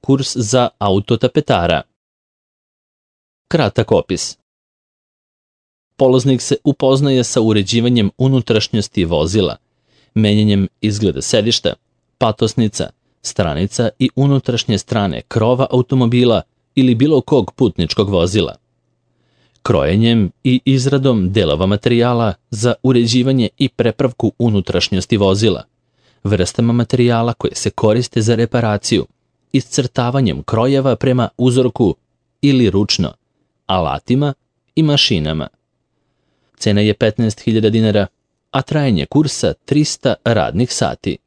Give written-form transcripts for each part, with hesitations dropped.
Kurs za autotapetara. Kratak opis. Polaznik se upoznaje sa uređivanjem unutrašnjosti vozila, menjanjem izgleda sedišta, patosnica, stranica i unutrašnje strane krova automobila ili bilo kog putničkog vozila. Krojenjem i izradom delova materijala za uređivanje i prepravku unutrašnjosti vozila, vrstama materijala koje se koriste za reparaciju, iscrtavanjem krojeva prema uzorku ili ručno, alatima i mašinama. Cena je 15.000 dinara, a trajanje kursa 300 radnih sati.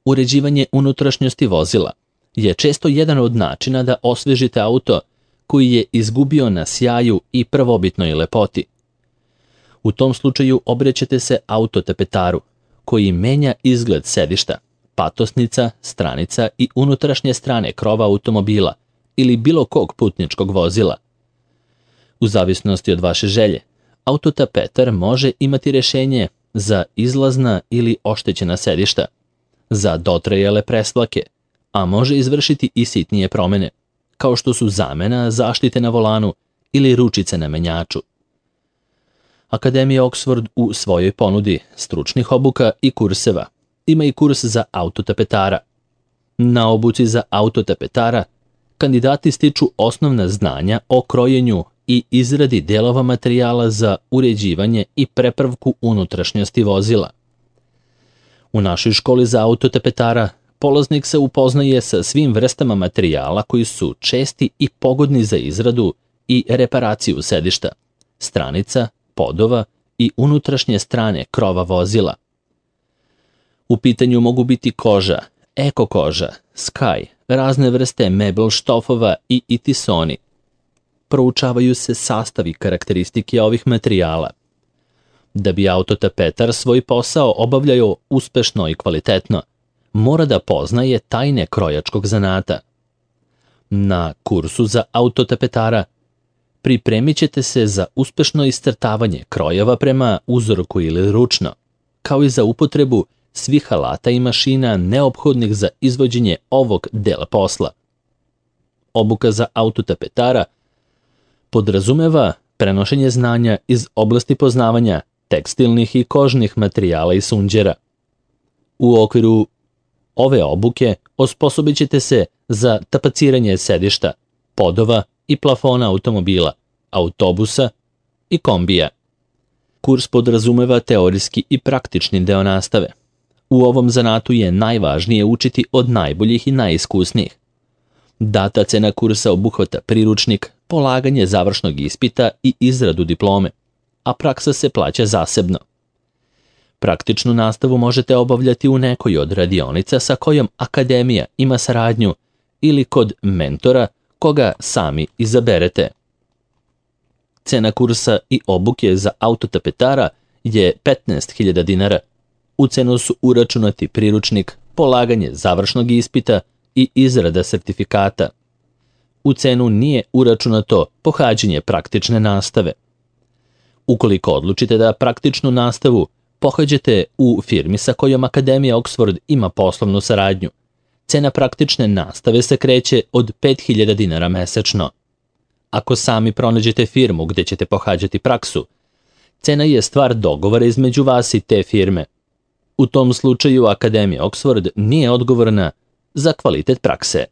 Uređivanje unutrašnjosti vozila je često jedan od načina da osvežite auto koji je izgubio na sjaju i prvobitnoj lepoti. U tom slučaju obrećete se autotapetaru, koji menja izgled sedišta, patosnica, stranica i unutrašnje strane krova automobila ili bilo kog putničkog vozila. U zavisnosti od vaše želje, autotapetar može imati rješenje za izlazna ili oštećena sedišta, za dotrajale presvlake, a može izvršiti i sitnije promene, kao što su zamena zaštite na volanu ili ručice na menjaču. Akademija Oxford u svojoj ponudi stručnih obuka i kurseva ima i kurs za autotapetara. Na obuci za autotapetara kandidati stiču osnovna znanja o krojenju i izradi delova materijala za uređivanje i prepravku unutrašnjosti vozila. U našoj školi za autotapetara polaznik se upoznaje sa svim vrstama materijala koji su česti i pogodni za izradu i reparaciju sedišta, stranica, podova i unutrašnje strane krova vozila. U pitanju mogu biti koža, eko koža, skaj, razne vrste mebel štofova i itisoni. Proučavaju se sastav i karakteristike ovih materijala. Da bi autotapetar svoj posao obavljao uspešno i kvalitetno, mora da poznaje tajne krojačkog zanata. Na kursu za autotapetara pripremit ćete se za uspešno iscrtavanje krojeva prema uzorku ili ručno, kao i za upotrebu svih alata i mašina neophodnih za izvođenje ovog dela posla. Obuka za autotapetara podrazumeva prenošenje znanja iz oblasti poznavanja tekstilnih i kožnih materijala i sunđera. U okviru ove obuke osposobit ćete se za tapaciranje sedišta, podova i plafona automobila, autobusa i kombija. Kurs podrazumeva teorijski i praktični deo nastave. U ovom zanatu je najvažnije učiti od najboljih i najiskusnijih. Data cena kursa obuhvata priručnik, polaganje završnog ispita i izradu diplome, a praksa se plaća zasebno. Praktičnu nastavu možete obavljati u nekoj od radionica sa kojom akademija ima saradnju ili kod mentora koga sami izaberete. Cena kursa i obuke za autotapetara je 15.000 dinara. U cenu su uračunati priručnik, polaganje završnog ispita i izrada sertifikata. U cenu nije uračunato pohađanje praktične nastave. Ukoliko odlučite da praktičnu nastavu pohađate u firmi sa kojom Akademija Oxford ima poslovnu saradnju, cena praktične nastave se kreće od 5.000 dinara mesečno. Ako sami pronađete firmu gde ćete pohađati praksu, cena je stvar dogovora između vas i te firme. U tom slučaju Akademija Oxford nije odgovorna za kvalitet prakse.